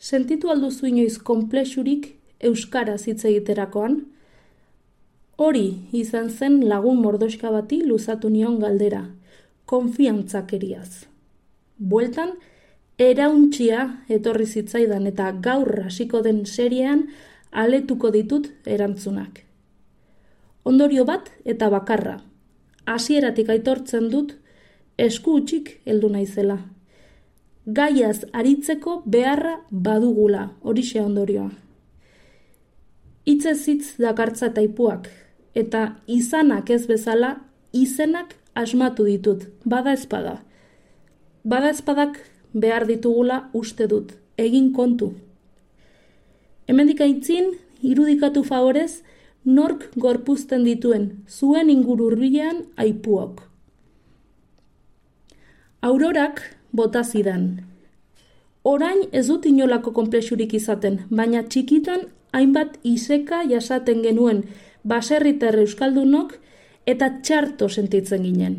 Sentitu alduzu inoiz konplexurik euskaraz hitz egiterakoan? Hori izan zen lagun mordoxka bati luzatu nion galdera, konfiantzakeriaz. Bueltan, erauntxia etorri zitzaidan eta gaur hasiko den seriean aletuko ditut erantzunak. Ondorio bat eta bakarra. Hasieratik aitortzen dut, esku hutsik heldu naizela. Gaiaz aritzeko beharra badugula, horixe ondorioa. Hitzez hitz dakartza taipuak, eta izanak ez bezala, izenak asmatu ditut, bada ezpada. Bada ezpadak behar ditugula uste dut, egin kontu. Hemendik aitzin, irudikatu favorez, nork gorpuzten dituen, zuen inguru hurbilean aipuok. Aurorak bota zidan. Orain ez dut inolako konplexurik izaten, baina txikitan hainbat iseka jasaten genuen baserritar euskaldunok eta txarto sentitzen ginen.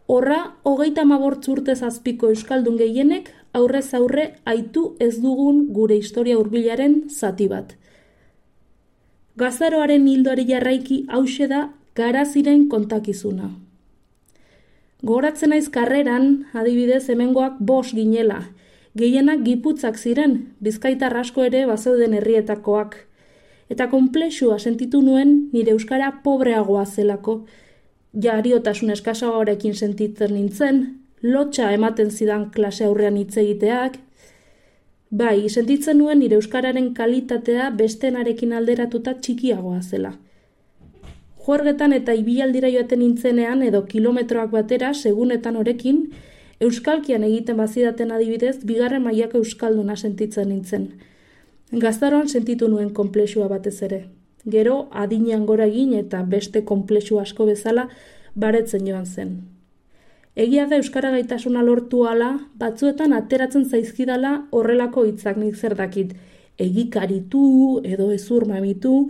Horra, 35 urtez azpiko euskaldun gehienek aurrez aurre aitu ez dugun gure historia hurbilaren zati bat. Gazaroaren hildoari jarraiki hauxe da garaziren kontakizuna. Gogoratzen naiz karreran, adibidez hemengoak 5 ginela, gehienak Giputzak ziren, bizkaitar asko ere bazeuden herrietakoak. Eta konplexua sentitu nuen nire euskara pobreagoa zelako. Jariotasun eskasagoarekin sentitzen nintzen, lotxa ematen zidan klase aurrean hitz egiteak. Bai, sentitzen nuen nire euskararen kalitatea bestenarekin alderatuta txikiagoa zela. Juergetan eta ibialdira joaten nintzenean edo kilometroak batera segunetan horekin, euskalkian egiten bazidaten adibidez, 2. mailako euskalduna sentitzen nintzen. Gaztaroan sentitu nuen konplexua batez ere. Gero, adinean gora egin eta beste konplexu asko bezala baretzen joan zen. Egia da euskara gaitasuna lortu ala, batzuetan ateratzen zaizkidala horrelako hitzak nik zer dakit. Egikaritu edo ezur mamitu,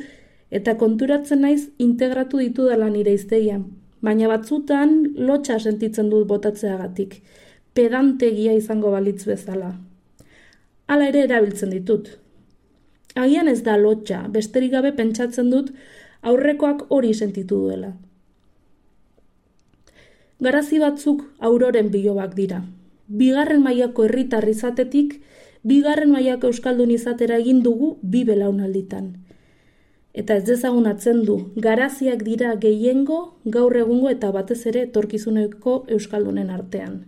eta konturatzen naiz integratu ditudala nire hiztegian. Baina batzutan lotxa sentitzen dut botatzeagatik, pedantegia izango balitz bezala. Hala ere erabiltzen ditut. Agian ez da lotxa, besterik gabe pentsatzen dut aurrekoak hori sentitu duela. Garazi batzuk auroren bilobak dira. 2. mailako herritar izatetik, 2. mailako euskaldun izatera egin dugu 2 belaunalditan. Eta ez dezagun atzendu, garaziak dira gehiengo, gaur egungo eta batez ere etorkizuneko euskaldunen artean.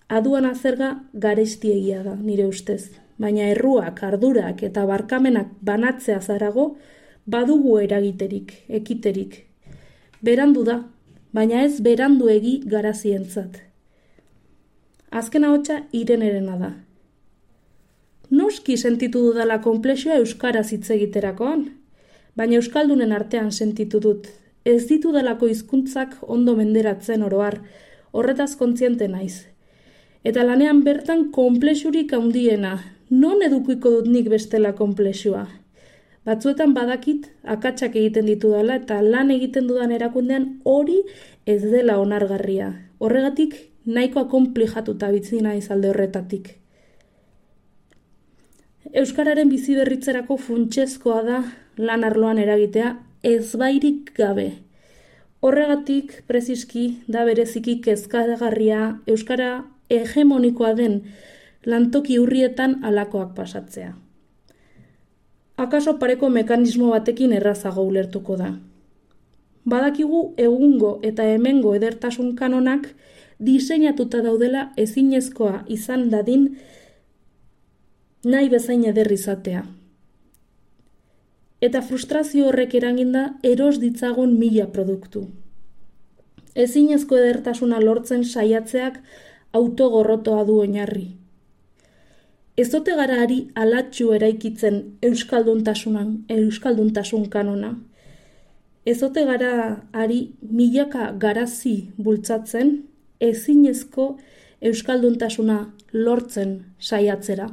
Aduana zerga garestiegia da, nire ustez. Baina erruak, ardurak eta barkamenak banatzea zarago, badugu eragiterik, ekiterik. Berandu da, baina ez beranduegi garazientzat. Azken ahotsa Irenerena da. Noski sentitu dudala konplexua euskaraz hitz egiterakoan, baina euskaldunen artean sentitu dut. Ez ditudalako hizkuntzak ondo menderatzen oroar, horretaz kontziente naiz. Eta lanean bertan konplexurik handiena, non edukiko dut nik bestela konplexua? Batzuetan badakit akatsak egiten ditudala eta lan egiten dudan erakundean hori ez dela onargarria. Horregatik nahikoa konplijatuta bizi naiz alde horretatik. Euskararen bizi berritzerako funtsezkoa da lan arloan eragitea ezbairik gabe. Horregatik preziski da bereziki kezkagarria euskara hegemonikoa den lantoki urrietan halakoak pasatzea. Akaso pareko mekanismo batekin errazago ulertuko da. Badakigu egungo eta hemengo edertasun kanonak diseinatuta daudela ezinezkoa izan dadin nahi bezain eder izatea. Eta frustrazio horrek eraginda eros ditzagun 1000 produktu. Ezinezko edertasuna lortzen saiatzeak autogorrotoa du oinarri. Ez ote gara ari alatxu eraikitzen euskalduntasun kanona. Ez ote gara ari milaka garazi bultzatzen ezinezko euskalduntasuna lortzen saiatzera.